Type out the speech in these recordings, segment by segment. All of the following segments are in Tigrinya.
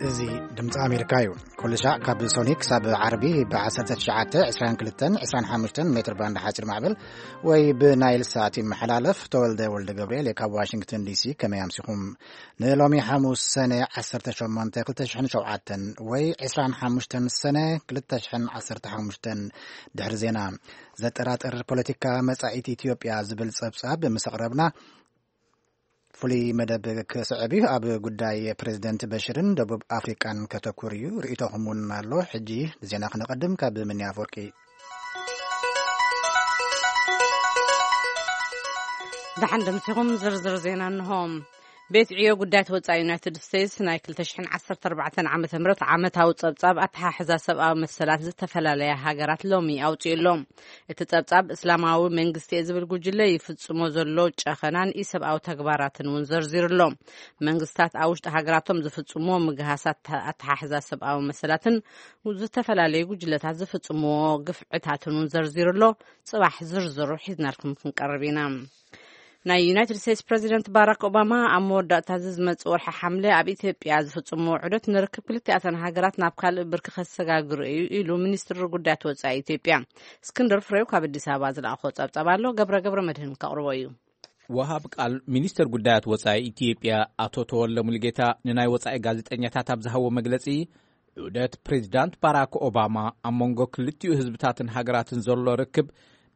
እዚ ድምፂ ኣሜሪካ እዩ። ኩሉ ሻዕ ካብ ሶኒ ክሳብ ዓርቢ ብ1922-25 ሜትር ባንድ ሓፂር ማዕበል ወይ ብናይል ሳት ይመሓላለፍ። ተወልደ ወልደ ገብርኤል ካብ ዋሽንግተን ዲሲ። ከመይ ኣምሲኹም? ንሎሚ ሓሙስ ሰነ 18 2007 ወይ 25 ሰነ 2015 ድሕሪ ዜና፣ ዘጠራጥር ፖለቲካ መጻኢት ኢትዮጵያ ዝብል ጸብጻብ ምስ ኣቕረብና፣ ፍሉይ መደብ ክስዕብ እዩ። ኣብ ጉዳይ ፕሬዚደንት በሽርን ደቡብ ኣፍሪቃን ከተኩር እዩ። ርእይቶኹም እውን ኣሎ። ሕጂ ንዜና ክነቐድም፣ ካብ ምንያ ኣፈወርቂ። ደሓን ደምሲኹም። ዝርዝር ዜና እንሆ። ቤት ዕዮ ጉዳያት ወጻኢ ዩናይትድ ስቴትስ ናይ 2014 ዓመተ ምህረት ዓመታዊ ጸብጻብ ኣተሓሕዛ ሰብኣዊ መሰላት ዝተፈላለያ ሃገራት ሎሚ ኣውጺኡ ኣሎ። እቲ ጸብጻብ እስላማዊ መንግስቲ እየ ዝብል ጉጅለ ይፍጽሞ ዘሎ ጨኸናን ኢሰብኣዊ ተግባራትን እውን ዘርዚሩ ኣሎ። መንግስታት ኣብ ውሽጢ ሃገራቶም ዝፍጽምዎ ምግሃሳት ኣተሓሕዛ ሰብኣዊ መሰላትን ዝተፈላለዩ ጉጅለታት ዝፍጽምዎ ግፍዕታትን እውን ዘርዚሩ ኣሎ። ጽባሕ ዝርዝሩ ሒዝናልኩም ክንቀርብ ኢና። ናይ ዩናይትድ ስቴትስ ፕሬዚደንት ባራክ ኦባማ ኣብ መወዳእታ እዚ ዝመጽእ ወርሒ ሓምለ ኣብ ኢትዮጵያ ዝፍጽምዎ ዑደት ንርክብ ክልቲኣተን ሃገራት ናብ ካልእ ብርኪ ከሰጋግሩ እዩ ኢሉ ሚኒስትሪ ጉዳያት ወጻኢ ኢትዮጵያ። እስክንድር ፍሬው ካብ ኣዲስ ኣበባ ዝለኣኾ ጸብጻብ ኣሎ። ገብረ ገብረ መድህን ከቕርቦ እዩ። ወሃብ ቃል ሚኒስትር ጉዳያት ወጻኢ ኢትዮጵያ ኣቶ ተወልደ ሙሉጌታ ንናይ ወጻኢ ጋዜጠኛታት ኣብ ዝሃቦ መግለጺ፣ ዑደት ፕሬዚዳንት ባራክ ኦባማ ኣብ መንጎ ክልቲኡ ህዝብታትን ሃገራትን ዘሎ ርክብ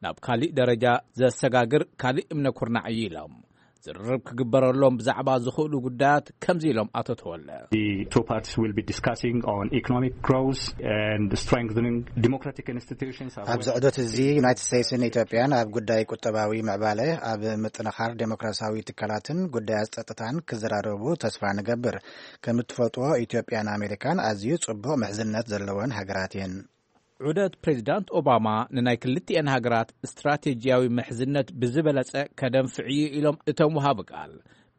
ናብ ካሊእ ደረጃ ዘሰጋግር ካሊእ እምነ ኩርናዕ እዩ ኢሎም። ዝርርብ ክግበረሎም ብዛዕባ ዝኽእሉ ጉዳያት ከምዚ ኢሎም ኣቶ ተወልደ። The two parties will be discussing on economic growth and strengthening democratic institutions. ኣብዚ ዑደት እዚ ዩናይትድ ስቴትስን ኢትዮጵያን ኣብ ጉዳይ ቁጠባዊ ምዕባለ፣ ኣብ ምጥንኻር ዴሞክራሲያዊ ትካላትን ጉዳያት ጸጥታን ክዘራረቡ ተስፋ ንገብር። ከም እትፈልጥዎ፣ ኢትዮጵያን ኣሜሪካን ኣዝዩ ጽቡቕ ምሕዝነት ዘለወን ሃገራት እየን። ዑደት ፕሬዚዳንት ኦባማ ንናይ ክልቲኤን ሃገራት ስትራቴጂያዊ ምሕዝነት ብዝበለጸ ከደንፍዕ እዩ ኢሎም እቶም ወሃቢ ቃል።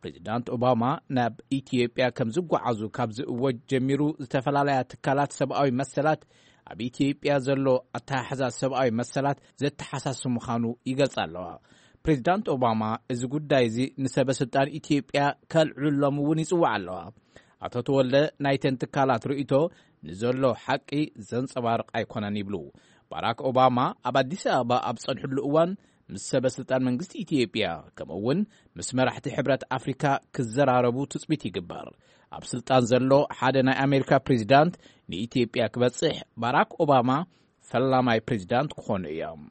ፕሬዚዳንት ኦባማ ናብ ኢትዮጵያ ከም ዝጓዓዙ ካብ ዝእወጅ ጀሚሩ፣ ዝተፈላለያ ትካላት ሰብኣዊ መሰላት ኣብ ኢትዮጵያ ዘሎ ኣተሓሕዛ ሰብኣዊ መሰላት ዘተሓሳስብ ምዃኑ ይገልጻ ኣለዋ። ፕሬዚዳንት ኦባማ እዚ ጉዳይ እዚ ንሰበ ስልጣን ኢትዮጵያ ከልዕሎም እውን ይጽውዓ ኣለዋ። ኣቶ ተወልደ ናይተን ትካላት ርእይቶ ንዘሎ ሓቂ ዘንጸባርቕ ኣይኮነን ይብሉ። ባራክ ኦባማ ኣብ ኣዲስ ኣበባ ኣብ ጸንሕሉ እዋን ምስ ሰበ ስልጣን መንግስቲ ኢትዮጵያ፣ ከምኡ እውን ምስ መራሕቲ ሕብረት ኣፍሪካ ክዘራረቡ ትጽቢት ይግበር። ኣብ ስልጣን ዘሎ ሓደ ናይ ኣሜሪካ ፕሬዚዳንት ንኢትዮጵያ ክበጽሕ ባራክ ኦባማ ፈላማይ ፕሬዚዳንት ክኾኑ እዮም።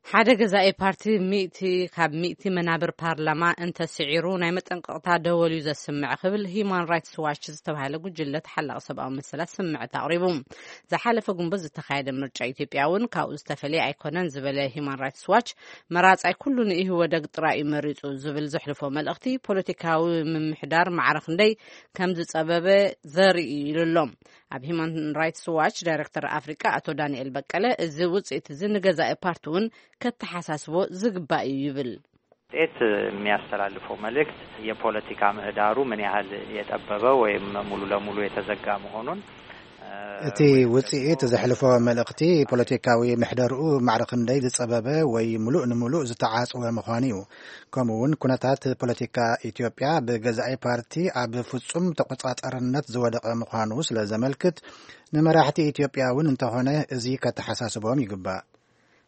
ሓደ ገዛኢ ፓርቲ ሚእቲ ካብ ሚእቲ መናብር ፓርላማ እንተስዒሩ ናይ መጠንቀቕታ ደወል እዩ ዘስምዕ ክብል ሂዩማን ራይትስ ዋች ዝተባሃለ ጉጅለ ተሓላቒ ሰብኣዊ መሰላት ስምዕት ኣቕሪቡ። ዝሓለፈ ግንቦት ዝተኻየደ ምርጫ ኢትዮጵያ እውን ካብኡ ዝተፈለየ ኣይኮነን ዝበለ ሂዩማን ራይትስ ዋች፣ መራጻይ ኩሉ ንኢህወደግ ጥራይ እዩ መሪጹ ዝብል ዘሕልፎ መልእኽቲ ፖለቲካዊ ምምሕዳር ማዕረ ክንደይ ከም ዝጸበበ ዘርኢ እዩ ኢሉ ኣሎ። ኣብ ሂዩማን ራይትስ ዋች ዳይሬክተር ኣፍሪቃ ኣቶ ዳንኤል በቀለ፣ እዚ ውጽኢት እዚ ንገዛኢ ፓርቲ እውን ከተሓሳስቦ ዝግባእ እዩ ይብል። ውጤት የሚያስተላልፈው መልእክት የፖለቲካ ምህዳሩ ምን ያህል የጠበበ ወይም ሙሉ ለሙሉ የተዘጋ መሆኑን፣ እ፣ እቲ ወይም ውጽኢት ደግሞ ዘሕልፎ መልእኽቲ ፖለቲካዊ ምሕደርኡ ማዕረ ክንደይ ዝጸበበ ወይ ምሉእ ንምሉእ ዝተዓጽወ ምዃኑ እዩ። ከምኡ እውን ኩነታት ፖለቲካ ኢትዮጵያ ብገዛኢ ፓርቲ ኣብ ፍጹም ተቆጻጻርነት ዝወደቐ ምዃኑ ስለ ዘመልክት፣ ንመራሕቲ ኢትዮጵያ እውን እንተኾነ እዚ ከተሓሳስቦም ይግባእ።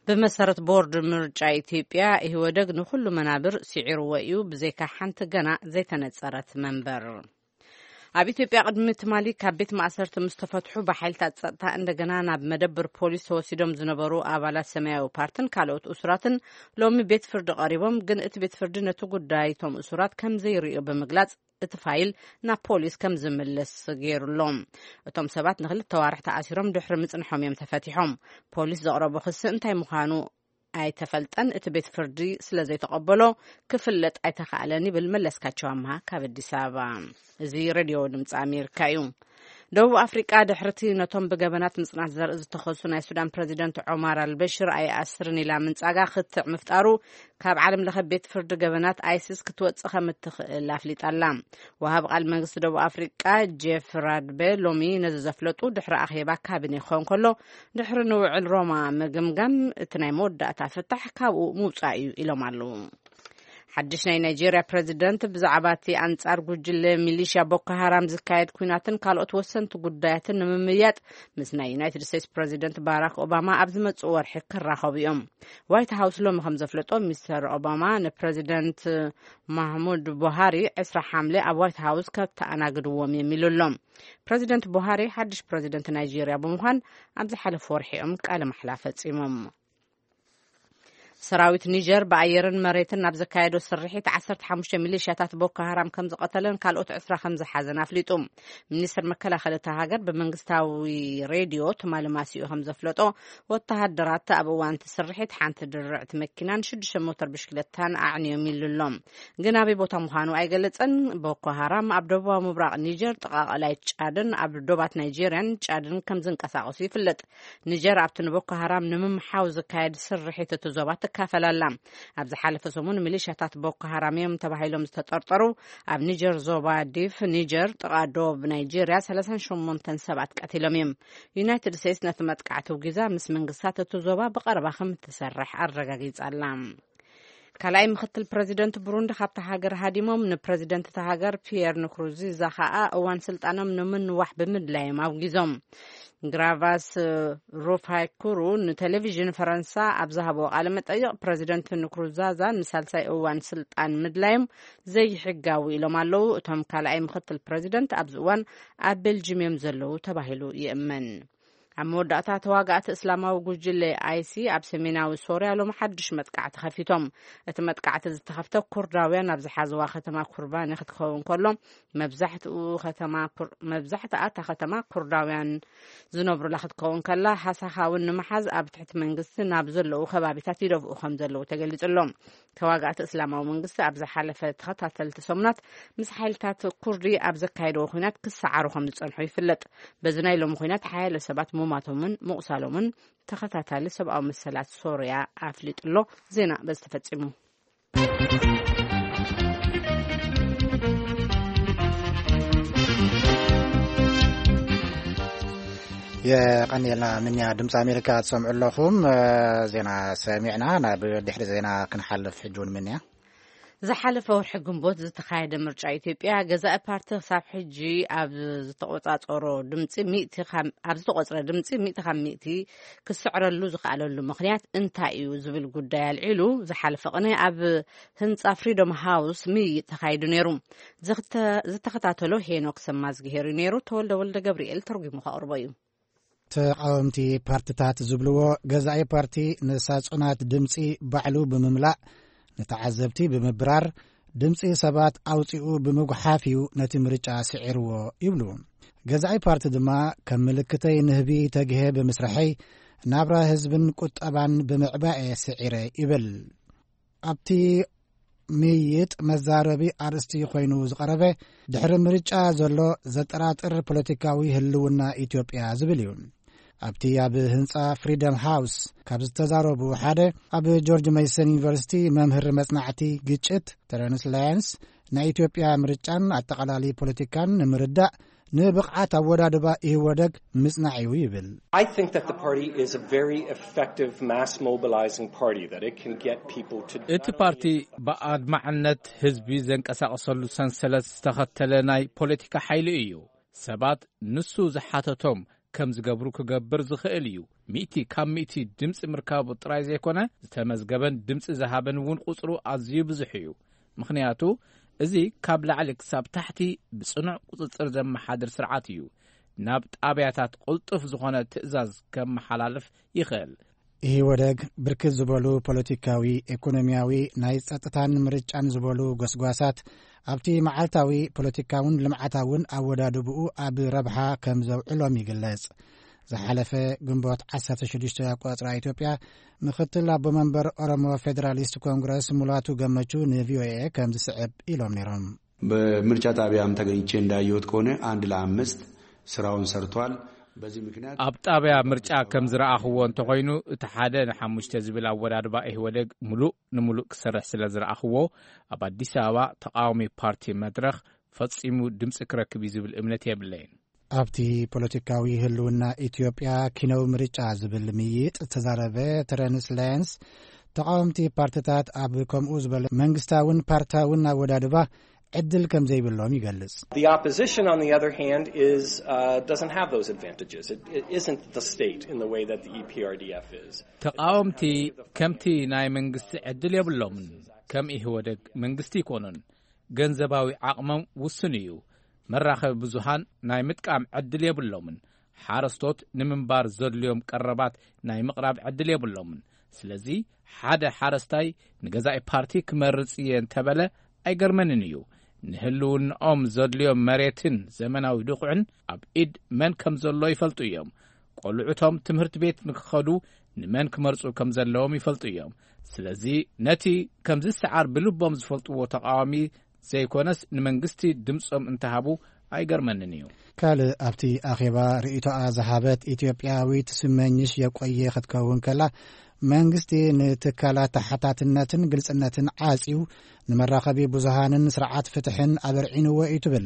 ብመሰረት ቦርድ ምርጫ ኢትዮጵያ፣ ኢህወደግ ንኹሉ መናብር ስዒርዎ እዩ፣ ብዘይካ ሓንቲ ገና ዘይተነጸረት መንበር። ኣብ ኢትዮጵያ ቅድሚ ትማሊ ካብ ቤት ማእሰርቲ ምስ ተፈትሑ፣ ብሓይልታት ጸጥታ እንደገና ናብ መደብር ፖሊስ ተወሲዶም ዝነበሩ ኣባላት ሰማያዊ ፓርትን ካልኦት እሱራትን ሎሚ ቤት ፍርዲ ቀሪቦም፣ ግን እቲ ቤት ፍርዲ ነቲ ጉዳይ እቶም እሱራት ከም ዘይርእዮ ብምግላጽ፣ እቲ ፋይል ናብ ፖሊስ ከም ዝምለስ ገይሩ ኣሎ። እቶም ሰባት ንክልተ ዋርሕ ተኣሲሮም ድሕሪ ምጽንሖም እዮም ተፈቲሖም። ፖሊስ ዘቕረቦ ክሲ እንታይ ምዃኑ ኣይተፈልጠን። እቲ ቤት ፍርዲ ስለ ዘይተቐበሎ ክፍለጥ ኣይተኻእለን ይብል መለስካቸው ኣምሃ ካብ ኣዲስ ኣበባ። እዚ ሬድዮ ድምፂ ኣሜሪካ እዩ። ደቡብ ኣፍሪቃ ድሕርቲ ነቶም ብገበናት ምጽናት ዘርኢ ዝተኸሱ ናይ ሱዳን ፕረዚደንት ዖማር ኣልበሽር ኣይኣስርን ኢላ ምንጻጋ ክትዕ ምፍጣሩ፣ ካብ ዓለም ለኸ ቤት ፍርዲ ገበናት ኣይሲስ ክትወጽእ ከም እትኽእል ኣፍሊጣ ኣላ። ወሃብ ቃል መንግስቲ ደቡብ ኣፍሪቃ ጄፍ ራድበ ሎሚ ነዚ ዘፍለጡ ድሕሪ ኣኼባ ካቢኔ ክኸውን ከሎ፣ ድሕሪ ንውዕል ሮማ ምግምጋም እቲ ናይ መወዳእታ ፍታሕ ካብኡ ምውጻእ እዩ ኢሎም ኣለዉ። ሓድሽ ናይ ናይጄርያ ፕረዚደንት ብዛዕባ እቲ ኣንጻር ጉጅለ ሚሊሽያ ቦኮ ሃራም ዝካየድ ኲናትን ካልኦት ወሰንቲ ጉዳያትን ንምምያጥ ምስ ናይ ዩናይትድ ስቴትስ ፕረዚደንት ባራክ ኦባማ ኣብ ዝመጽእ ወርሒ ክራኸቡ እዮም። ዋይት ሃውስ ሎሚ ከም ዘፍለጦ፣ ሚስተር ኦባማ ንፕረዚደንት ማህሙድ ቡሃሪ ዕስራ ሓምለ ኣብ ዋይት ሃውስ ከተኣናግድዎም እዮም ኢሉ ኣሎ። ፕረዚደንት ቡሃሪ ሓድሽ ፕረዚደንት ናይጄርያ ብምዃን ኣብ ዝሓለፈ ወርሒ እዮም ቃለ ማሕላ ፈጺሞም። ሰራዊት ኒጀር ብኣየርን መሬትን ናብ ዘካየዶ ስርሒት ዓሰርተ ሓሙሽተ ሚሊሽያታት ቦኮ ሃራም ከም ዝቐተለን ካልኦት ዕስራ ከም ዝሓዘን ኣፍሊጡ። ሚኒስትር መከላኸሊ እታ ሃገር ብመንግስታዊ ሬድዮ ትማሊ ማሲኡ ከም ዘፍለጦ፣ ወተሃደራት ኣብ እዋን እቲ ስርሒት ሓንቲ ድርዕቲ መኪናን ሽዱሽተ ሞተር ብሽክለታን ኣዕንዮም ኢሉ ኣሎ። ግን ኣበይ ቦታ ምዃኑ ኣይገለጸን። ቦኮ ሃራም ኣብ ደቡባዊ ምብራቕ ኒጀር ጥቓ ቀላይ ጫድን ኣብ ዶባት ናይጄርያን ጫድን ከም ዝንቀሳቐሱ ይፍለጥ። ኒጀር ኣብቲ ንቦኮ ሃራም ንምምሓው ዝካየድ ስርሒት እቲ ዞባ ትካፈል ኣላ። ኣብ ዝሓለፈ ሰሙን ሚሊሻታት ቦኮ ሃራም እዮም ተባሂሎም ዝተጠርጠሩ ኣብ ኒጀር ዞባ ዲፍ ኒጀር ጥቓ ዶብ ናይጄርያ ሰላሳን ሸሞንተን ሰባት ቀቲሎም እዮም። ዩናይትድ ስቴትስ ነቲ መጥቃዕቲ ውጊዛ ምስ መንግስታት እቲ ዞባ ብቐረባ ከም እትሰርሕ ኣረጋጊጻ ኣላ። ካልኣይ ምክትል ፕረዚደንት ብሩንዲ ካብታ ሃገር ሃዲሞም፣ ንፕረዚደንት እታ ሃገር ፒየር ንኩሩንዚዛ ከኣ እዋን ስልጣኖም ንምንዋሕ ብምድላዮም ኣውጊዞም። ግራቫስ ሩፋይኩሩ ንቴሌቪዥን ፈረንሳ ኣብ ዝሃብዎ ቃለ መጠይቕ፣ ፕረዚደንት ንኩሩንዛዛ ንሳልሳይ እዋን ስልጣን ምድላዮም ዘይሕጋዊ ኢሎም ኣለዉ። እቶም ካልኣይ ምክትል ፕረዚደንት ኣብዚ እዋን ኣብ ቤልጅም እዮም ዘለዉ ተባሂሉ ይእመን። ኣብ መወዳእታ፣ ተዋጋእቲ እስላማዊ ጉጅለ ኣይሲ ኣብ ሰሜናዊ ሶርያ ሎም ሓድሽ መጥቃዕቲ ከፊቶም። እቲ መጥቃዕቲ ዝተኸፍተ ኩርዳውያን ኣብ ዝሓዝዋ ከተማ ኩርባኒ ክትከውን ከሎ፣ መብዛሕትኡ ከተማ ኩር-፣ መብዛሕትኣ እታ ከተማ ኩርዳውያን ዝነብሩላ ክትከውን ከላ፣ ሃሳኻ እውን ንምሓዝ ኣብ ትሕቲ መንግስቲ ናብ ዘለዉ ከባቢታት ይደፍኡ ከም ዘለዉ ተገሊጹ ኣሎ። ተዋጋእቲ እስላማዊ መንግስቲ ኣብ ዝሓለፈ ተኸታተልቲ ሰሙናት ምስ ሓይልታት ኩርዲ ኣብ ዘካየድዎ ኲናት ክሰዓሩ ከም ዝጸንሑ ይፍለጥ። በዚ ናይ ሎሚ ኲናት ሓያለ ሰባት ምሟቶምን ምቑሳሎምን ተኸታታሊ ሰብኣዊ መሰላት ሶርያ ኣፍሊጡ ኣሎ። ዜና በዚ ተፈጺሙ። የቐንየልና ምንያ። ድምፂ ኣሜሪካ ትሰምዑ ኣለኹም። ዜና ሰሚዕና ናብ ድሕሪ ዜና ክንሓልፍ ሕጂ እውን ምንያ። ዝሓለፈ ወርሒ ግንቦት ዝተኻየደ ምርጫ ኢትዮጵያ፣ ገዛኢ ፓርቲ ክሳብ ሕጂ ኣብ ዝተቆጻጸሮ ድምጺ ሚእቲ ካብ፣ ኣብ ዝተቆጽረ ድምጺ ሚእቲ ካብ ሚእቲ ክስዕረሉ ዝኸኣለሉ ምኽንያት እንታይ እዩ ዝብል ጉዳይ ኣልዒሉ፣ ዝሓለፈ ቅነ ኣብ ህንጻ ፍሪዶም ሃውስ ምይይጥ ተኻይዱ ነይሩ። ዝኽተ-፣ ዝተኸታተሎ ሄኖክ ሰማዝግሄር እዩ ነይሩ። ተወልደ ወልደ ገብርኤል ተርጒሙ ከቕርቦ እዩ። ተቓወምቲ ፓርትታት ዝብልዎ፣ ገዛኢ ፓርቲ ንሳጹናት ድምጺ ባዕሉ ብምምላእ፣ ንተዓዘብቲ ብምብራር፣ ድምጺ ሰባት ኣውጺኡ ብምጉሓፍ እዩ ነቲ ምርጫ ስዒርዎ ይብሉ። ገዛኢ ፓርቲ ድማ፣ ከም ምልክተይ ንህቢ ተግሄ ብምስርሐይ፣ ናብራ ህዝብን ቁጠባን ብምዕባየ ስዒረ ይብል። ኣብቲ ምይይጥ መዛረቢ ኣርእስቲ ኮይኑ ዝቐረበ፣ ድሕሪ ምርጫ ዘሎ ዘጠራጥር ፖለቲካዊ ህልውና ኢትዮጵያ ዝብል እዩ። ኣብቲ ኣብ ህንጻ ፍሪደም ሃውስ ካብ ዝተዛረቡ ሓደ፣ ኣብ ጆርጅ ሜሰን ዩኒቨርሲቲ መምህር መጽናዕቲ ግጭት ተረንስ ላያንስ፣ ናይ ኢትዮጵያ ምርጫን ኣጠቓላሊ ፖለቲካን ንምርዳእ ንብቕዓት ኣወዳድባ ኢህወደግ ምጽናዕ እዩ ይብል። I think that the party is a very effective mass mobilizing party, that it can get people to እቲ ፓርቲ ብኣድማዕነት ህዝቢ ዘንቀሳቕሰሉ ሰንሰለት ዝተኸተለ ናይ ፖለቲካ ሓይሊ እዩ። ሰባት ንሱ ዝሓተቶም ከም ዝገብሩ ክገብር ዝኽእል እዩ። ሚእቲ ካብ ሚእቲ ድምፂ ምርካቡ ጥራይ ዘይኮነ፣ ዝተመዝገበን ድምፂ ዝሃበን እውን ቁፅሩ ኣዝዩ ብዙሕ እዩ። ምኽንያቱ፣ እዚ ካብ ላዕሊ ክሳብ ታሕቲ ብጽኑዕ ቁጽጽር ዘመሓድር ስርዓት እዩ። ናብ ጣብያታት ቅልጡፍ ዝኾነ ትእዛዝ ከመሓላልፍ ይኽእል። ኢህወደግ ብርክት ዝበሉ ፖለቲካዊ፣ ኢኮኖሚያዊ፣ ናይ ጸጥታን ምርጫን ዝበሉ ጎስጓሳት ኣብቲ መዓልታዊ ፖለቲካውን ልምዓታውን ኣወዳድብኡ ኣብ ረብሓ ከም ዘውዕሎም ይግለጽ። ዝሓለፈ ግንቦት ዓሰርተ ሽዱሽተ ኣቆጻጽራ ኢትዮጵያ፣ ምኽትል ኣቦ መንበር ኦሮሞ ፌደራሊስት ኮንግረስ ሙላቱ ገመቹ ንቪኦኤ ከም ዝስዕብ ኢሎም ነይሮም። በምርጫ ጣቢያም ተገኝቼ እንዳየሁት ከሆነ አንድ ለአምስት ስራውን ሰርቷል። በዚህ ምክንያት ኣብ ጣብያ ምርጫ ከም ዝረኣኽዎ እንተኾይኑ፣ እቲ ሓደ ንሓሙሽተ ዝብል ኣወዳድባ ኢህወደግ ምሉእ ንምሉእ ክሰርሕ ስለ ዝረኣኽዎ፣ ኣብ ኣዲስ ኣበባ ተቃዋሚ ፓርቲ መድረኽ ፈጺሙ ድምፂ ክረክብ እዩ ዝብል እምነት የብለይን። ኣብቲ ፖለቲካዊ ህልውና ኢትዮጵያ ኪነው ምርጫ ዝብል ምይይጥ ዝተዛረበ ተረንስ ላያንስ፣ ተቓወምቲ ፓርትታት ኣብ ከምኡ ዝበለ መንግስታውን ፓርታውን ኣወዳድባ ዕድል ከም ዘይብሎም ይገልጽ። The opposition, on the other hand, is, uh, doesn't have those advantages. It, it isn't the state in the way that the E P R D F is. ተቓወምቲ ከምቲ ናይ መንግስቲ ዕድል የብሎምን። ከም ኢህወደግ መንግስቲ ይኮኑን። ገንዘባዊ ዓቕሞም ውሱን እዩ። መራኸቢ ብዙሃን ናይ ምጥቃም ዕድል የብሎምን። ሓረስቶት ንምንባር ዘድልዮም ቀረባት ናይ ምቕራብ ዕድል የብሎምን። ስለዚ ሓደ ሓረስታይ ንገዛኢ ፓርቲ ክመርጽ እየ እንተበለ ኣይገርመንን እዩ። ንህልውንኦም ዘድልዮም መሬትን ዘመናዊ ድኹዕን ኣብ ኢድ መን ከም ዘሎ ይፈልጡ እዮም። ቆልዑቶም ትምህርቲ ቤት ንክኸዱ ንመን ክመርጹ ከም ዘለዎም ይፈልጡ እዮም። ስለዚ ነቲ ከም ዝሰዓር ብልቦም ዝፈልጥዎ ተቓዋሚ ዘይኮነስ ንመንግስቲ ድምጾም እንተሃቡ ኣይገርመንን እዩ። ካልእ ኣብቲ ኣኼባ ርእይቶኣ ዝሃበት ኢትዮጵያዊት ስመኝሽ የቆየ ክትከውን ከላ፣ መንግስቲ ንትካላት ተሓታትነትን ግልጽነትን ዓጽዩ ንመራኸቢ ብዙሃንን ስርዓት ፍትሕን ኣበርዒንዎ እዩ ትብል።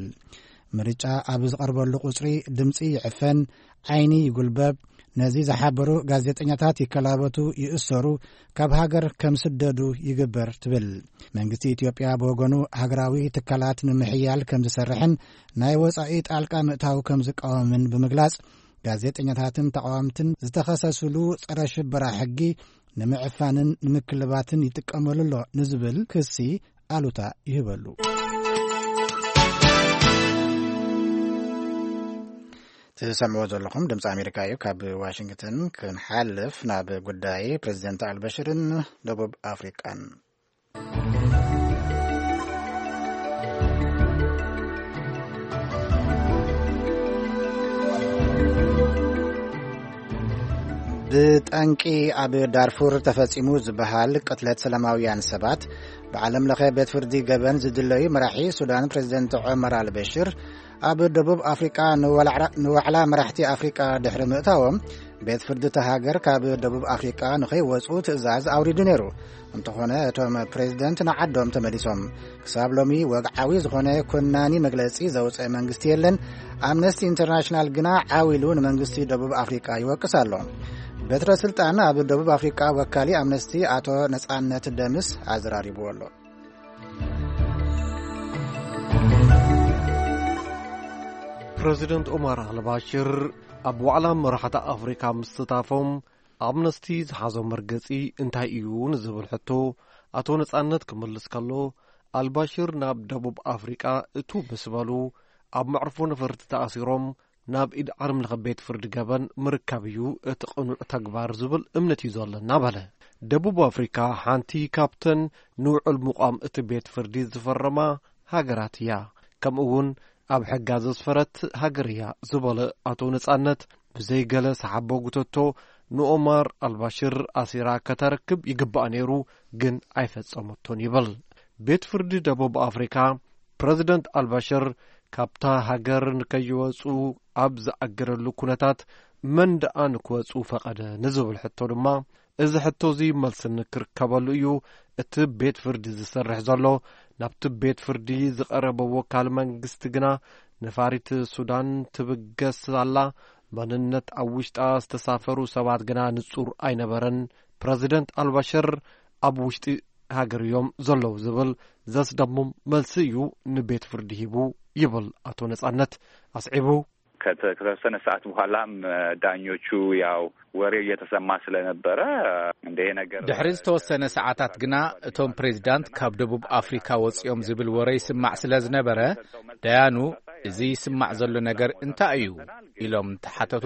ምርጫ ኣብ ዝቐርበሉ ቁጽሪ ድምጺ ይዕፈን፣ ዓይኒ ይጉልበብ፣ ነዚ ዝሓበሩ ጋዜጠኛታት ይከላበቱ፣ ይእሰሩ፣ ካብ ሃገር ከም ስደዱ ይግበር ትብል። መንግስቲ ኢትዮጵያ ብወገኑ ሃገራዊ ትካላት ንምሕያል ከም ዝሰርሕን ናይ ወጻኢ ጣልቃ ምእታው ከም ዝቃወምን ብምግላጽ፣ ጋዜጠኛታትን ተቃወምትን ዝተኸሰስሉ ጸረ ሽበራ ሕጊ ንምዕፋንን ንምክልባትን ይጥቀመሉ ኣሎ ንዝብል ክሲ ኣሉታ ይህበሉ። ትሰምዕዎ ዘለኹም ድምፂ ኣሜሪካ እዩ። ካብ ዋሽንግተን ክንሓልፍ ናብ ጉዳይ ፕሬዚደንት ኣልበሽርን ደቡብ ኣፍሪቃን። ብጠንቂ ኣብ ዳርፉር ተፈጺሙ ዝበሃል ቅትለት ሰላማውያን ሰባት፣ ብዓለም ለኸ ቤት ፍርዲ ገበን ዝድለዩ መራሒ ሱዳን ፕሬዚደንት ዑመር ኣልበሽር፣ ኣብ ደቡብ ኣፍሪቃ ንዋላ-፣ ንዋዕላ መራሕቲ ኣፍሪቃ ድሕሪ ምእታዎም፣ ቤት ፍርዲ እታ ሃገር ካብ ደቡብ ኣፍሪቃ ንኸይወጹ ትእዛዝ ኣውሪዱ ነይሩ። እንተኾነ፣ እቶም ፕሬዚደንት ንዓዶም ተመሊሶም። ክሳብ ሎሚ ወግዓዊ ዝኾነ ኮናኒ መግለጺ ዘውጽአ መንግስቲ የለን። ኣምነስቲ ኢንተርናሽናል ግና ዓው ኢሉ ንመንግስቲ ደቡብ ኣፍሪቃ ይወቅስ ኣሎ። በትረ ስልጣን ኣብ ደቡብ ኣፍሪቃ ወካሊ ኣምነስቲ ኣቶ ነጻነት ደምስ ኣዘራሪብዎ ኣሎ። ፕረዚደንት ኦማር ኣልባሽር ኣብ ዋዕላ መራሕቲ ኣፍሪካ ምስታፎም፣ ኣምነስቲ ዝሓዞ መርገጺ እንታይ እዩ ንዝብል ሕቶ ኣቶ ነጻነት ክምልስ ከሎ፣ ኣልባሽር ናብ ደቡብ ኣፍሪቃ እቱ ምስ በሉ፣ ኣብ መዕርፎ ነፈርቲ ተኣሲሮም ናብ ኢድ ዓለም ለኸ ቤት ፍርዲ ገበን ምርካብ እዩ እቲ ቅኑዕ ተግባር ዝብል እምነት እዩ ዘለና በለ። ደቡብ ኣፍሪካ ሓንቲ ካብተን ንውዕል ምቋም እቲ ቤት ፍርዲ ዝፈረማ ሃገራት እያ። ከምኡ እውን ኣብ ሕጋ ዘስፈረት ሃገር እያ ዝበለ ኣቶ ነጻነት፣ ብዘይ ገለ ሰሓቦ ጉተቶ ንኦማር ኣልባሽር ኣሲራ ከተረክብ ይግባእ ነይሩ፣ ግን ኣይፈጸመቶን ይብል። ቤት ፍርዲ ደቡብ ኣፍሪካ ፕረዚደንት ኣልባሽር ካብታ ሃገር ንከይወጹ ኣብ ዝኣገደሉ ኩነታት መን ደኣ ንክወጹ ፈቐደ ንዝብል ሕቶ ድማ፣ እዚ ሕቶ እዚ መልሲ ንክርከበሉ እዩ እቲ ቤት ፍርዲ ዝሰርሕ ዘሎ። ናብቲ ቤት ፍርዲ ዝቐረበ ወካል መንግስቲ ግና ነፋሪት ሱዳን ትብገስ ኣላ፣ መንነት ኣብ ውሽጣ ዝተሳፈሩ ሰባት ግና ንጹር ኣይነበረን። ፕረዚደንት ኣልባሽር ኣብ ውሽጢ ሃገር እዮም ዘለዉ ዝብል ዘስደምም መልሲ እዩ ንቤት ፍርዲ ሂቡ ይብል ኣቶ ነጻነት ኣስዒቡ። ከተ-፣ ከተወሰነ ሰዓት በኋላም ዳኞቹ ያው ወሬው እየተሰማ ስለነበረ እንደ ይሄ ነገር ድሕሪ ዝተወሰነ ሰዓታት ግና እቶም ፕሬዚዳንት ካብ ደቡብ ኣፍሪካ ወፂኦም ዝብል ወረ ይስማዕ ስለ ዝነበረ፣ ዳያኑ "እዚ ይስማዕ ዘሎ ነገር እንታይ እዩ?" ኢሎም እንተሓተቱ፣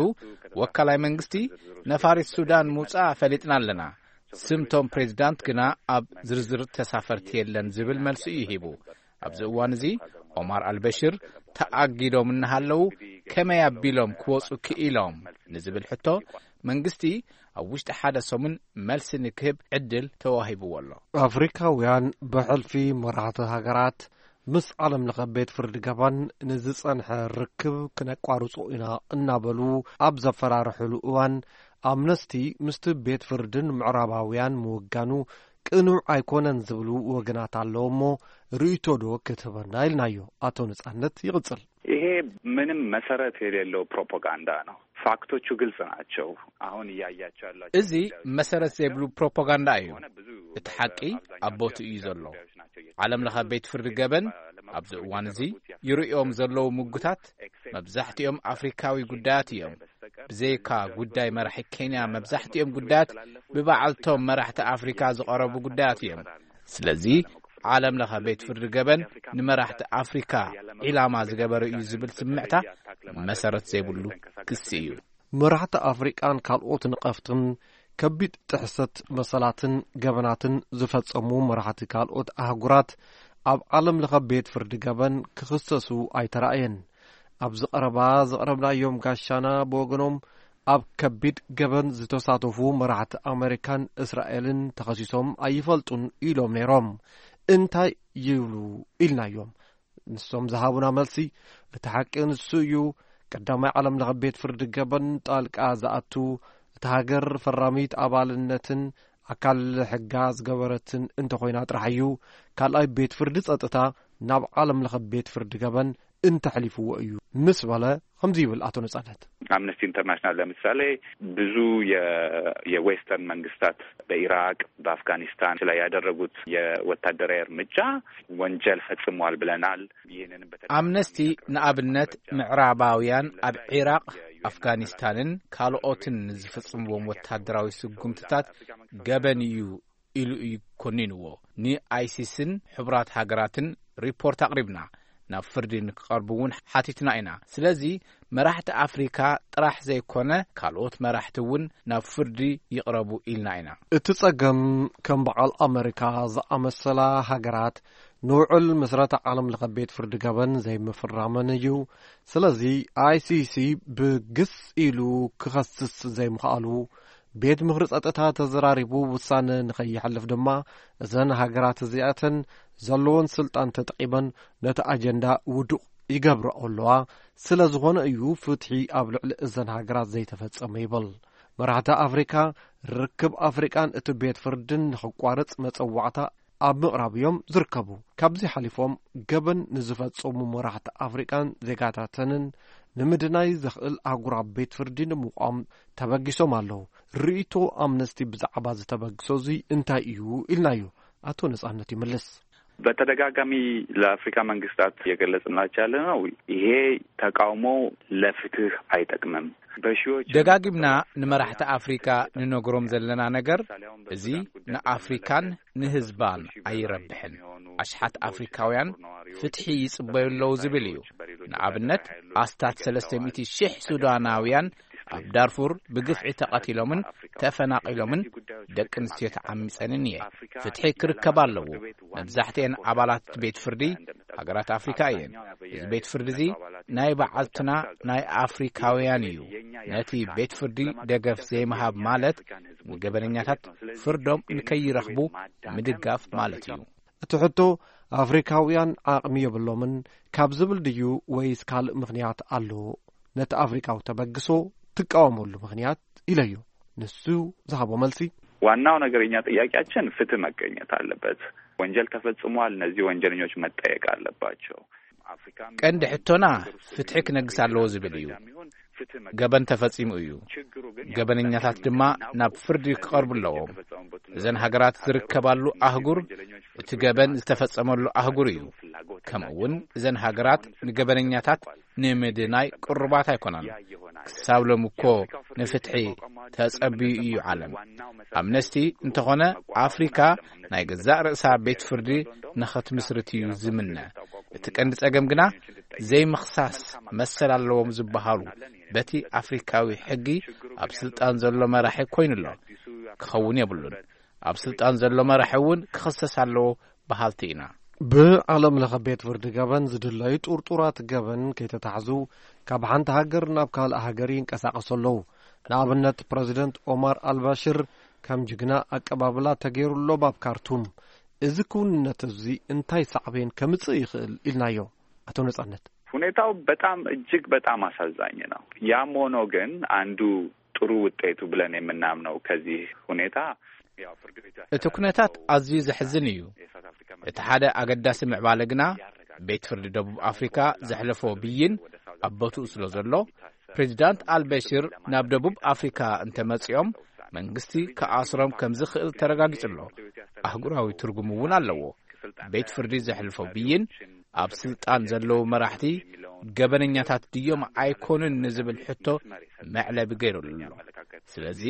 ወካላይ መንግስቲ "ነፋሪት ሱዳን ምውፃኣ ፈሊጥና ኣለና፣ ስምቶም ፕሬዚዳንት ግና ኣብ ዝርዝር ተሳፈርቲ የለን" ዝብል መልሲ እዩ ሂቡ። ኣብዚ እዋን እዚ ኦማር ኣልበሽር ተኣጊዶም እናሃለዉ ከመይ ኣቢሎም ክወፁ ክኢሎም ንዝብል ሕቶ፣ መንግስቲ ኣብ ውሽጢ ሓደ ሰሙን መልሲ ንክህብ ዕድል ተዋሂብዎ ኣሎ። ኣፍሪካውያን ብሕልፊ መራሕቲ ሃገራት ምስ ዓለም ለኸ ቤት ፍርዲ ገባን ንዝጸንሐ ርክብ ክነቋርጾ ኢና እናበሉ ኣብ ዘፈራርሕሉ እዋን፣ ኣምነስቲ ምስቲ ቤት ፍርድን ምዕራባውያን ምውጋኑ ቅኑዕ ኣይኮነን ዝብሉ ወገናት ኣለዉ እሞ፣ ርእይቶ ዶ ክትህበና ኢልናዮ። ኣቶ ነጻነት ይቕጽል። ይሄ ምንም መሰረት የሌለው ፕሮፓጋንዳ ነው። ፋክቶቹ ግልጽ ናቸው። አሁን እያያቸው ያላቸው እዚ ጉዳዮች መሰረት ዘይብሉ ፕሮፓጋንዳ እዩ። የሆነ ብዙ እቲ ሓቂ ኣብ ቦትኡ እዩ ዘሎ። ዓለም ለኸ ቤት ፍርዲ ገበን ኣብዚ እዋን እዚ ይርእዮም ዘለዉ ምጉታት መብዛሕትኦም ኣፍሪካዊ ጉዳያት እዮም። ብዘይካ ጉዳይ መራሒ ኬንያ፣ መብዛሕትኦም ጉዳያት ብበዓልቶም መራሕቲ ኣፍሪካ ዝቐረቡ ጉዳያት እዮም። ስለዚ ዓለም ለኸ ቤት ፍርዲ ገበን ንመራሕቲ ኣፍሪካ ዒላማ ዝገበረ እዩ ዝብል ስምዕታ መሰረት ዘይብሉ ክሲ እዩ። መራሕቲ ኣፍሪቃን ካልኦት ንቐፍትን ከቢድ ጥሕሰት መሰላትን ገበናትን ዝፈጸሙ መራሕቲ ካልኦት ኣህጉራት ኣብ ዓለም ለኸ ቤት ፍርዲ ገበን ክኽሰሱ ኣይተራእየን። ኣብዚ ቀረባ ዘቕረብናዮም ጋሻና ብወገኖም ኣብ ከቢድ ገበን ዝተሳተፉ መራሕቲ ኣመሪካን እስራኤልን ተኸሲሶም ኣይፈልጡን ኢሎም ነይሮም። እንታይ ይብሉ ኢልናዮም። ንሶም ዝሃቡና መልሲ፣ እቲ ሓቂ ንሱ እዩ። ቀዳማይ ዓለም ለኸ ቤት ፍርዲ ገበን ጣልቃ ዝኣቱ፣ እቲ ሃገር ፈራሚት ኣባልነትን ኣካል ሕጋ ዝገበረትን እንተኾይና ጥራሕ እዩ። ካልኣይ ቤት ፍርዲ ጸጥታ ናብ ዓለም ለኸ ቤት ፍርዲ ገበን እንተሕሊፍዎ እዩ ምስ በለ፣ ከምዚ ይብል ኣቶ ነጻነት። ኣምነስቲ ኢንተርናሽናል ለምሳሌ ብዙ የ- የዌስተርን መንግስታት በኢራቅ በአፍጋኒስታን ላይ ያደረጉት የወታደራዊ እርምጃ ወንጀል ፈጽሟል ብለናል። ይህንንም በተደጋጋሚ አምነስቲ ንኣብነት ምዕራባውያን ኣብ ዒራቅ፣ አፍጋኒስታንን ካልኦትን ዝፍጽምዎም ወታደራዊ ስጉምትታት ገበን እዩ ኢሉ እዩ ኮኒንዎ። ንኣይሲስን ሕቡራት ሃገራትን ሪፖርት ኣቕሪብና፣ ናብ ፍርዲ ንክቐርቡ እውን ሓቲትና ኢና። ስለዚ መራሕቲ ኣፍሪካ ጥራሕ ዘይኮነ ካልኦት መራሕቲ እውን ናብ ፍርዲ ይቕረቡ ኢልና ኢና። እቲ ጸገም ከም በዓል ኣመሪካ ዝኣመሰላ ሃገራት ንውዕል ምስረታ ዓለም ለኸ ቤት ፍርዲ ገበን ዘይምፍራመን እዩ። ስለዚ ኣይሲሲ ብግስ ኢሉ ክኸስስ ዘይምኽኣሉ፣ ቤት ምኽሪ ጸጥታ ተዘራሪቡ ውሳነ ንኸይሓልፍ ድማ እዘን ሃገራት እዚኣተን ዘለወን ስልጣን ተጠቒመን ነቲ ኣጀንዳ ውዱቕ ይገብርኦ ኣለዋ። ስለ ዝኾነ እዩ ፍትሒ ኣብ ልዕሊ እዘን ሃገራት ዘይተፈጸመ ይብል። መራሕቲ ኣፍሪካ ርክብ ኣፍሪቃን እቲ ቤት ፍርድን ንኽቋረጽ መጸዋዕታ ኣብ ምቕራብ እዮም ዝርከቡ። ካብዚ ሓሊፎም ገበን ንዝፈጸሙ መራሕቲ ኣፍሪቃን ዜጋታተንን ንምድናይ ዘኽእል ኣህጉራዊ ቤት ፍርዲ ንምቋም ተበጊሶም ኣለዉ። ርእይቶ ኣምነስቲ ብዛዕባ ዝተበግሶ እዚ እንታይ እዩ ኢልናዮ። ኣቶ ነጻነት ይመልስ። በተደጋጋሚ ለአፍሪካ መንግስታት እየገለጽንላቸው ያለ ነው። ይሄ ተቃውሞ ለፍትህ አይጠቅምም። በሺዎች ደጋጊምና ንመራሕቲ ኣፍሪካ ንነግሮም ዘለና ነገር፣ እዚ ንኣፍሪካን ንህዝባን ኣይረብሕን። ኣሽሓት ኣፍሪካውያን ፍትሒ ይጽበዩ ኣለዉ ዝብል እዩ። ንኣብነት፣ ኣስታት ሰለስተ ሚእቲ ሺሕ ሱዳናውያን ኣብ ዳርፉር ብግፍዒ ተቐቲሎምን ተፈናቒሎምን ደቂ ኣንስትዮ ተዓሚጸንን እየ። ፍትሒ ክርከብ ኣለዎ። መብዛሕትኤን ኣባላት ቤት ፍርዲ ሃገራት ኣፍሪካ እየን። እዚ ቤት ፍርዲ እዚ ናይ በዓልትና ናይ ኣፍሪካውያን እዩ። ነቲ ቤት ፍርዲ ደገፍ ዘይምሃብ ማለት ንገበነኛታት ፍርዶም ንከይረኽቡ ምድጋፍ ማለት እዩ። እቲ ሕቶ፣ ኣፍሪካውያን ዓቕሚ የብሎምን፣ ካብ ዝብል ድዩ ወይስ ካልእ ምኽንያት ኣሎ? ነቲ ኣፍሪካዊ ተበግሶ ትቃወመሉ ምኽንያት ኢለዮ። ንሱ ዝሃቦ መልሲ፣ ዋናው ነገር የኛ ጥያቄያችን ፍትህ መገኘት አለበት። ወንጀል ተፈጽሟል። እነዚህ ወንጀለኞች መጠየቅ አለባቸው። ቀንዲ ሕቶና ፍትሒ ክነግስ ኣለዎ ዝብል እዩ። ገበን ተፈጺሙ እዩ። ገበነኛታት ድማ ናብ ፍርዲ ክቐርቡ ኣለዎም። እዘን ሃገራት ዝርከባሉ ኣህጉር እቲ ገበን ዝተፈጸመሉ ኣህጉር እዩ። ከምኡ እውን እዘን ሃገራት ንገበነኛታት ንምድናይ ቅሩባት ኣይኮናን። ክሳብ ሎሚ እኮ ንፍትሒ ተጸብዩ እዩ ዓለም። ኣምነስቲ እንተኾነ ኣፍሪካ ናይ ገዛእ ርእሳ ቤት ፍርዲ ንኸትምስርት እዩ ዝምነ። እቲ ቀንዲ ጸገም ግና ዘይምኽሳስ መሰል ኣለዎም ዝበሃሉ በቲ ኣፍሪካዊ ሕጊ ኣብ ስልጣን ዘሎ መራሒ ኮይኑ ኣሎ። ክኸውን የብሉን። ኣብ ስልጣን ዘሎ መራሒ እውን ክኽሰስ ኣለዎ በሃልቲ ኢና። ብዓለም ለኸ ቤት ፍርዲ ገበን ዝድለዩ ጥርጡራት ገበን ከይተታሕዙ ካብ ሓንቲ ሃገር ናብ ካልእ ሃገር ይንቀሳቐሱ ኣለዉ። ንኣብነት ፕረዚደንት ኦማር ኣልባሽር ከም ጅግና ኣቀባብላ ተገይሩሎም ኣብ ካርቱም። እዚ ክውንነት እዚ እንታይ ሳዕቤን ከምጽእ ይኽእል ኢልናዮ ኣቶ ነጻነት። ሁኔታው በጣም እጅግ በጣም አሳዛኝ ነው። ያም ሆኖ ግን አንዱ ጥሩ ውጤቱ ብለን የምናምነው ከዚህ ሁኔታ እቲ ኩነታት ኣዝዩ ዘሕዝን እዩ። እቲ ሓደ ኣገዳሲ ምዕባለ ግና ቤት ፍርዲ ደቡብ ኣፍሪካ ዘሕለፎ ብይን ኣብ ቦትኡ ስለ ዘሎ፣ ፕሬዚዳንት ኣልበሽር ናብ ደቡብ ኣፍሪካ እንተመጺኦም መንግስቲ ክኣስሮም ከም ዝኽእል ተረጋጊጹ ኣሎ። ኣህጉራዊ ትርጉም እውን ኣለዎ። ቤት ፍርዲ ዘሕልፎ ብይን ኣብ ስልጣን ዘለዉ መራሕቲ ገበነኛታት ድዮም ኣይኮኑን ንዝብል ሕቶ መዕለቢ ገይሩሉ ኣሎ። ስለዚ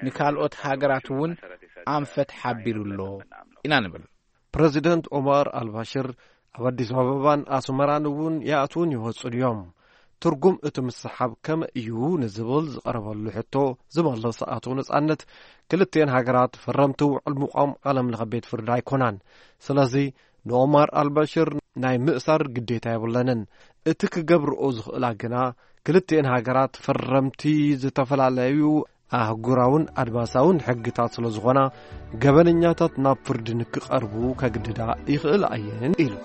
ንካልኦት ሃገራት እውን ኣንፈት ሓቢሩ ኣሎ ኢና ንብል። ፕረዚደንት ኦማር ኣልባሽር ኣብ ኣዲስ ኣበባን ኣስመራን እውን ይኣትዉን ይወጹን እዮም። ትርጉም እቲ ምስሓብ ከመይ እዩ ንዝብል ዝቐረበሉ ሕቶ ዝመለሰ ኣቶ ነጻነት፣ ክልቲኤን ሃገራት ፈረምቲ ውዕል ምቋም ዓለም ለኸ ቤት ፍርዲ ኣይኮናን። ስለዚ ንኦማር ኣልባሽር ናይ ምእሳር ግዴታ የብለንን። እቲ ክገብርኦ ዝኽእላ ግና ክልቲኤን ሃገራት ፈረምቲ ዝተፈላለዩ ኣህጉራውን ኣድማሳውን ሕግታት ስለ ዝኾና፣ ገበነኛታት ናብ ፍርዲ ንክቐርቡ ከግድዳ ይኽእላ እየን ኢሉ።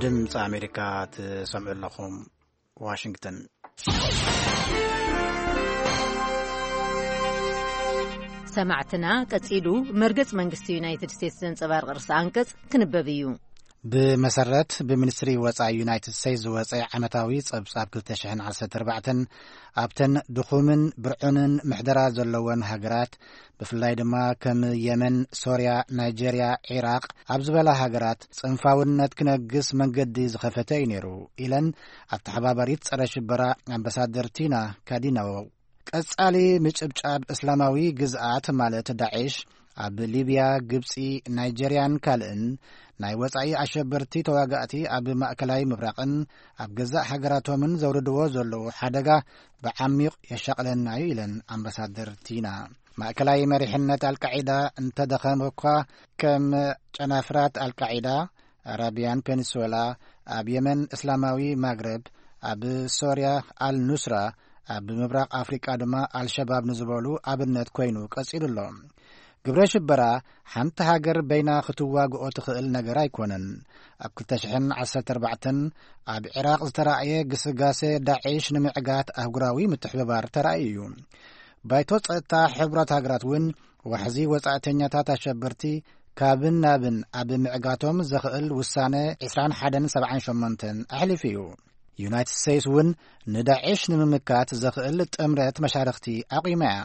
ድምፂ ኣሜሪካ ትሰምዑ ኣለኹም። ዋሽንግተን። ሰማዕትና፣ ቀጺሉ መርገጽ መንግስቲ ዩናይትድ ስቴትስ ዘንጸባርቕ ርእሰ ኣንቀጽ ክንበብ እዩ። ብመሰረት ብሚኒስትሪ ወጻኢ ዩናይትድ ስቴትስ ዝወጸ ዓመታዊ ጸብጻብ ክልተ ሽሕን ዓሰርተ ኣርባዕተን፣ ኣብተን ድኹምን ብርዑንን ምሕደራ ዘለወን ሃገራት፣ ብፍላይ ድማ ከም የመን፣ ሶርያ፣ ናይጀርያ፣ ዒራቕ ኣብ ዝበላ ሃገራት ጽንፋውነት ክነግስ መንገዲ ዝኸፈተ እዩ ነይሩ ኢለን ኣተሓባባሪት ጸረ ሽበራ ኣምባሳደር ቲና ካዲናዎ። ቀጻሊ ምጭብጫብ እስላማዊ ግዝኣት ማለት ዳዕሽ ኣብ ሊብያ፣ ግብጺ፣ ናይጀርያን ካልእን ናይ ወጻኢ ኣሸበርቲ ተዋጋእቲ ኣብ ማእከላይ ምብራቕን ኣብ ገዛእ ሃገራቶምን ዘውርድዎ ዘለዉ ሓደጋ ብዓሚቕ የሻቕለና እዩ ኢለን ኣምባሳደር ቲና። ማእከላይ መሪሕነት ኣልቃዒዳ እንተደኸመ እኳ፣ ከም ጨናፍራት ኣልቃዒዳ፣ ኣራብያን ፔኒንሱላ፣ ኣብ የመን እስላማዊ ማግረብ፣ ኣብ ሶርያ ኣል ኑስራ፣ ኣብ ምብራቕ ኣፍሪቃ ድማ ኣልሸባብ ንዝበሉ ኣብነት ኮይኑ ቀጺሉ ኣሎ። ግብረ ሽበራ ሓንቲ ሃገር በይና ክትዋግኦ ትኽእል ነገር ኣይኮነን። ኣብ ክልተ ሽሕን ዓሰርተ ኣርባዕተን ኣብ ዒራቕ ዝተራእየ ግስጋሴ ዳዒሽ ንምዕጋት ኣህጉራዊ ምትሕብባር ተራእዩ እዩ። ባይቶ ጸጥታ ሕቡራት ሃገራት እውን ዋሕዚ ወጻእተኛታት ኣሸበርቲ ካብን ናብን ኣብ ምዕጋቶም ዘኽእል ውሳነ ዕስራን ሓደን ሰብዓን ሸሞንተን ኣሕሊፉ እዩ። ዩናይትድ ስቴትስ እውን ንዳዒሽ ንምምካት ዘኽእል ጥምረት መሻርኽቲ ኣቑማ እያ።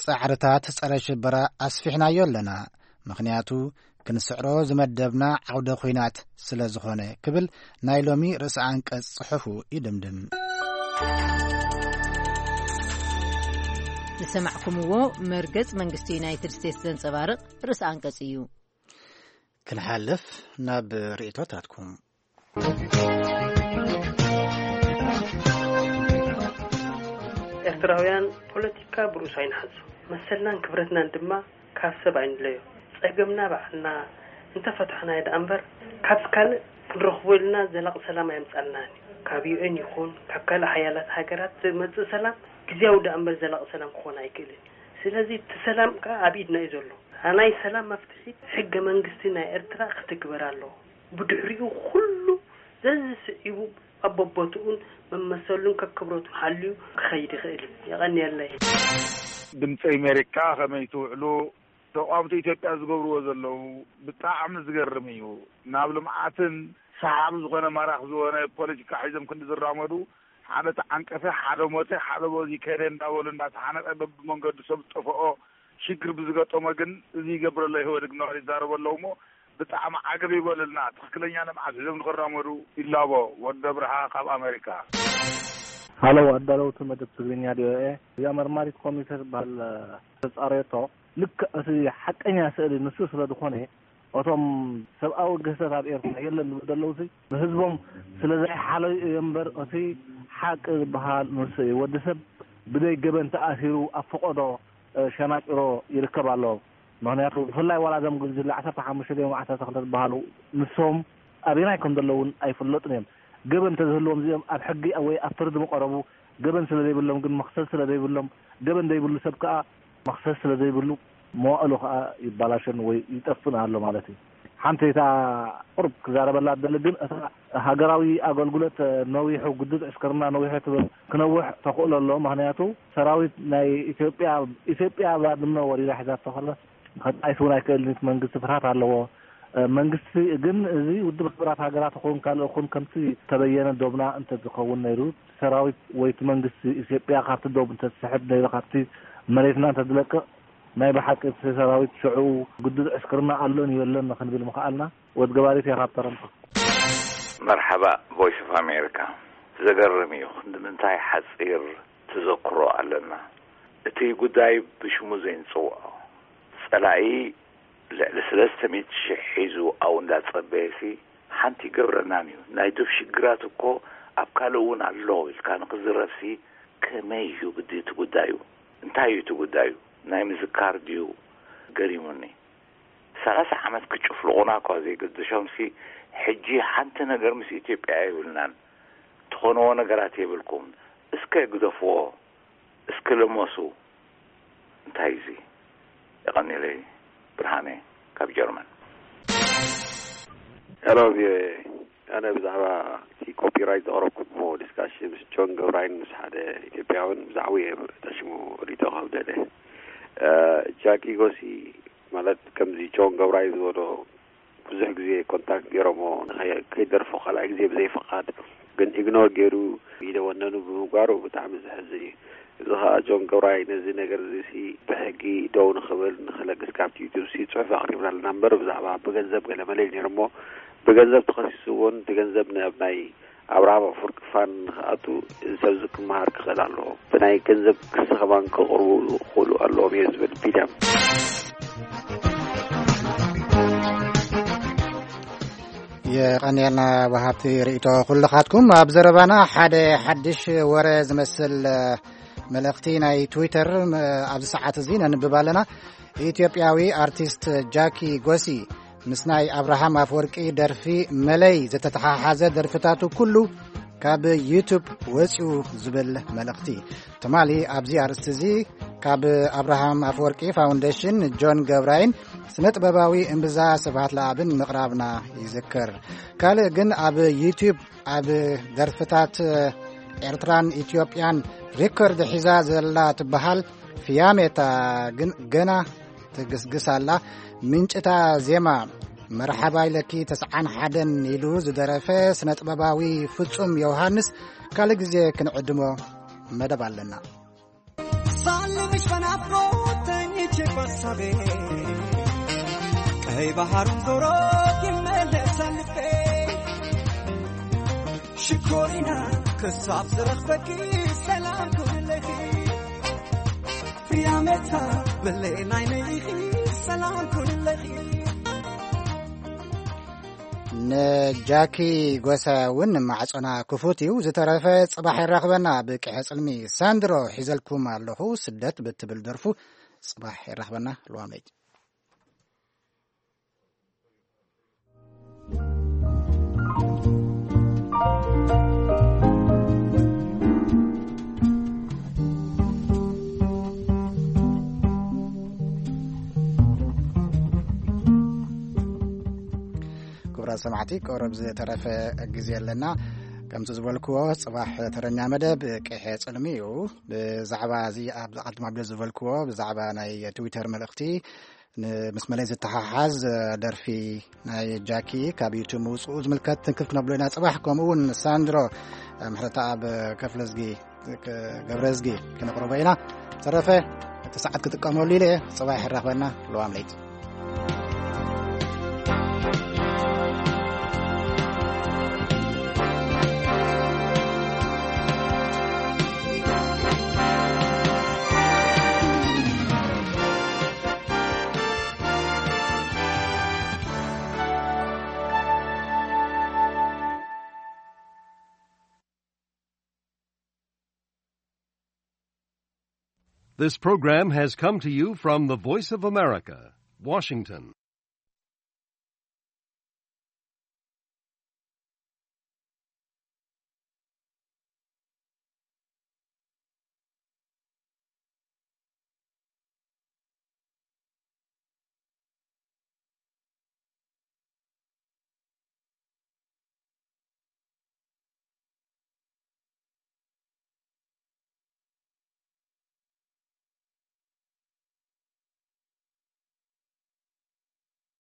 ጻዕርታት ጸረ ሽበራ ኣስፊሕናዮ ኣለና፣ ምኽንያቱ ክንስዕሮ ዝመደብና ዓውደ ኲናት ስለ ዝኾነ፣ ክብል ናይ ሎሚ ርእሰ ኣንቀጽ ጽሑፉ ይድምድም። ዝሰማዕኩምዎ መርገጽ መንግስቲ ዩናይትድ ስቴትስ ዘንጸባርቕ ርእሰ ኣንቀጽ እዩ። ክንሓልፍ ናብ ርእይቶታትኩም። ኤርትራውያን ፖለቲካ ብርእሱ ኣይንሓዞ። መሰልናን ክብረትናን ድማ ካብ ሰብ ኣይንለዮ። ጸገምና ባዕልና እንተፈታሕናዮ ደኣ እምበር፣ ካብ ካልእ ክንረኽቦ ኢልና ዘላቂ ሰላም ኣየምጻልናን እዩ። ካብ ዩ ኤን ይኹን ካብ ካልእ ሓያላት ሃገራት ዝመጽእ ሰላም ግዝያዊ ደኣ እምበር ዘላቂ ሰላም ክኾን ኣይክእልን። ስለዚ እቲ ሰላም ከኣ ኣብ ኢድና እዩ ዘሎ። ናይ ሰላም መፍትሒ ሕገ መንግስቲ ናይ ኤርትራ ክትግበር ኣለዎ። ብድሕሪኡ ኩሉ ዘዝስዒቡ ኣብ በቦትኡን መመሰሉን ከክብረቱን ሓልዩ ክኸይድ ይኽእል እዩ። የቐንየለይ። ድምፂ ኣሜሪካ ከመይ ትውዕሉ? ተቋምቲ ኢትዮጵያ ዝገብርዎ ዘለዉ ብጣዕሚ ዝገርም እዩ። ናብ ልምዓትን ሰሓቢ ዝኾነ ማራኺ ዝኾነ ፖለቲካ ሒዞም ክንዲ ዝራመዱ ሓደ ተዓንቀፈ፣ ሓደ ሞተ፣ ሓደ በዚ ከደ እንዳበሉ እንዳተሓነቀ በብመንገዱ ሰብ ዝጠፈኦ ሽግር ብዝገጠሞ ግን እዚ ይገብረሎ ኢህወዴግ እናበሉ ይዛረቡ ኣለዉ እሞ ብጣዕሚ ዓገብ ይበለልና። ትኽክለኛ ልምዓት ሒዞም ንኽራመዱ ይላቦ። ወዲ ኣብርሃ ካብ ኣሜሪካ። ሃሎ ኣዳለውቲ መደብ ትግርኛ ቪኦኤ፣ እዚኣ መርማሪት ኮሚቴ ትበሃል ተጻረየቶ። ልክዕ እቲ ሓቀኛ ስእሊ ንሱ ስለ ዝኾነ፣ እቶም ሰብኣዊ ግህሰት ኣብ ኤርትራ የለን ዝብሉ ዘለዉ ሲ ንህዝቦም ስለ ዘይሓለዩ እዩ እምበር፣ እቲ ሓቂ ዝበሃል ንሱ እዩ። ወዲ ሰብ ብደይ ገበን ተኣሲሩ ኣብ ፈቐዶ፣ እ፣ ሸናጭሮ ይርከብ ኣሎ። ምኽንያቱ ብፍላይ ዋላ እዞም ጉጅለ ዓሰርተ ሓሙሽተ ድዮም ዓሰርተ ክልተ ዝበሃሉ ንሶም ኣበየናይ ከም ዘለዉ እውን ኣይፍለጡን እዮም። ገበን እንተዝህልዎም እዚኦም ኣብ ሕጊ ወይ ኣብ ፍርዲ ምቐረቡ፣ ገበን ስለ ዘይብሎም ግን መኽሰስ ስለ ዘይብሎም፣ ገበን ዘይብሉ ሰብ ከኣ መኽሰስ ስለ ዘይብሉ መዋእሉ ከኣ ይባላሸን ወይ ይጠፍእን ኣሎ ማለት እዩ። ሓንቲ እታ ቁሩብ ክዛረበላ እደሊ ግን እታ ሃገራዊ ኣገልግሎት ነዊሑ፣ ግዱድ ዕስክርና ነዊሑ ትብል ክነውሕ ተኽእሎ ኣሎ። ምኽንያቱ ሰራዊት ናይ ኢትዮጵያ፣ ኢትዮጵያ ባድመ ወሪራ ሒዛቶ ከላስ ከጣይስ እውን ኣይክእልን፣ እቲ መንግስቲ ፍርሃት ኣለዎ። መንግስቲ ግን እዚ ውድብ ሕቡራት ሃገራት ይኹን ካልእ ይኹን ከምቲ ተበየነ ዶብና እንተዝኸውን ነይሩ፣ ሰራዊት ወይ እቲ መንግስቲ ኢትዮጵያ ካብቲ ዶብ እንተዝስሕብ ነይሩ፣ ካብቲ መሬትና እንተዝለቅቕ፣ ናይ ብሓቂ እቲ ሰራዊት ሽዑ ግዱድ ዕስክርና ኣሎን የሎን ክንብል ምኽኣልና። ወድ ገባሪት እያ ካብ ተረንቶ። መርሓባ ቮይስ ኦፍ ኣሜሪካ። ዘገርም እዩ፣ ክንዲ ምንታይ ሓጺር ተዘክሮ ኣለና። እቲ ጉዳይ ብሽሙ ዘይንጽውዖ፣ ጸላኢ ልዕሊ ሰለስተ ሚእቲ ሽሕ ሒዙ ኣብኡ እንዳጸበየሲ ሓንቲ ይገብረናን እዩ። ናይ ዶብ ሽግራት እኮ ኣብ ካልእ እውን ኣሎ ኢልካ ንክዝረብሲ ከመይ እዩ ግዲ እቲ ጉዳዩ? እንታይ እዩ እቲ ጉዳዩ? ናይ ምዝካር ድዩ? ገሪሙኒ። ሰላሳ ዓመት ክጭፍልቑና እኳ ዘይገደሾምሲ፣ ሕጂ ሓንቲ ነገር ምስ ኢትዮጵያ የብልናን። ትኾንዎ ነገራት የብልኩም። እስከ ግደፍዎ። እስኪ ልመሱ። እንታይ እዚ? የቐኒለይ። ብርሃነ ካብ ጀርመን። ሄሎ፣ ቪኦኤ። ኣነ ብዛዕባ እቲ ኮፒራይት ዘቕረብኩሞ ዲስካሽን ምስ ጆን ገብራይን ምስ ሓደ ኢትዮጵያውን ብዛዕባ እየ ጠሽሙ ሪቶ ካብ ደለ። እ፣ ጃኪ ጎሲ ማለት ከምዚ ጆን ገብራይ ዝበሎ ብዙሕ ግዜ ኮንታክት ገይሮሞ ንኸይ-፣ ከይደርፎ ካልኣይ ግዜ ብዘይ ፍቓድ ግን ኢግኖር ገይሩ ኢደ ወነኑ ብምግባሩ ብጣዕሚ ዘሕዝን እዩ። እዚ ኸኣ ጆን ገብራይ ነዚ ነገር እዚ ሲ ብሕጊ ደው ንኽብል ንኽለግስ ካብቲ ዩቱብ ሲ ጽሑፍ ኣቕሪብና ኣለና እምበር ብዛዕባ ብገንዘብ ገለ መለ ኢሉ ነይሩ እሞ ብገንዘብ ተኸሲሱ እውን እቲ ገንዘብ ናብ ናይ ኣብርሃም ኣፈወርቂ ፋን ንኽኣቱ እዚ ሰብ እዚ ክመሃር ክኽእል ኣለዎ። ብናይ ገንዘብ ክሲ ከማን ከቕርቡ ክኽእሉ ኣለዎም እየ ዝብል ቢንያም። የቐንየልና ወሃብቲ ርእይቶ ኩልኻትኩም። ኣብ ዘረባና ሓደ ሓድሽ ወረ ዝመስል መልእኽቲ ናይ ትዊተር ኣብዚ ሰዓት እዚ ነንብብ ኣለና። ኢትዮጵያዊ ኣርቲስት ጃኪ ጎሲ ምስ ናይ ኣብርሃም ኣፍወርቂ ደርፊ መለይ ዝተተሓሓዘ ደርፍታቱ ኩሉ ካብ ዩቱብ ወፂኡ ዝብል መልእኽቲ። ትማሊ ኣብዚ ኣርእስቲ እዚ ካብ ኣብርሃም ኣፍወርቂ ፋውንዴሽን ጆን ገብራይን ስነ ጥበባዊ እምብዛ ስብሃት ለኣብን ምቕራብና ይዝክር። ካልእ ግን ኣብ ዩቱብ ኣብ ደርፍታት ኤርትራን ኢትዮጵያን ሪኮርድ ሒዛ ዘላ ትበሃል ፍያሜታ ግን ገና ትግስግስ ኣላ። ምንጭታ ዜማ መርሓባ ኢለኪ ተስዓን ሓደን ኢሉ ዝደረፈ ስነ ጥበባዊ ፍጹም ዮሃንስ ካልእ ግዜ ክንዕድሞ መደብ ኣለና። ሳልምሽ በናፍቆት ተኝቼ ባሳቤ ቀይ ባህሩን ዞሮ ይመለሳል ልቤ። ሽኮሪና ክሳብ ዝረኽበኪ ሰላም ኩንለኺ። ፍያሜታ ብሌናይ ነይኺ ሰላም ኩንለኺ። ንጃኪ ጎሳ እውን ማዕጾና ክፉት እዩ። ዝተረፈ ጽባሕ ይራኽበና። ብቅሐ ጽልሚ ሳንድሮ ሒዘልኩም ኣለኹ። ስደት ብትብል ደርፉ ጽባሕ ይራኽበና። ልዋም ለይቲ። ክቡራት ሰማዕቲ፣ ቀረብ ዝተረፈ ግዜ ኣለና። ከምቲ ዝበልክዎ፣ ጽባሕ ተረኛ መደብ ቅሐ ጽልሚ እዩ። ብዛዕባ እዚ ኣብ ዝቐድም ኣብደ ዝበልክዎ፣ ብዛዕባ ናይ ትዊተር መልእኽቲ፣ ን-፣ ምስ መለይ ዝተሓሓዝ ደርፊ ናይ ጃኪ ካብ ዩቱብ ምውፅኡ ዝምልከት ትንክፍ ክነብሎ ኢና ጽባሕ። ከምኡ እውን ሳንድሮ ምሕረተኣብ ከፍለዝጊ፣ ገብረዝጊ ክነቕርቦ ኢና። ተረፈ እቲ ሰዓት ክጥቀመሉ ኢለ እየ። ጽባሕ ይራኽበና። ለዋም ለይቲ። This program has come to you from the Voice of America, Washington.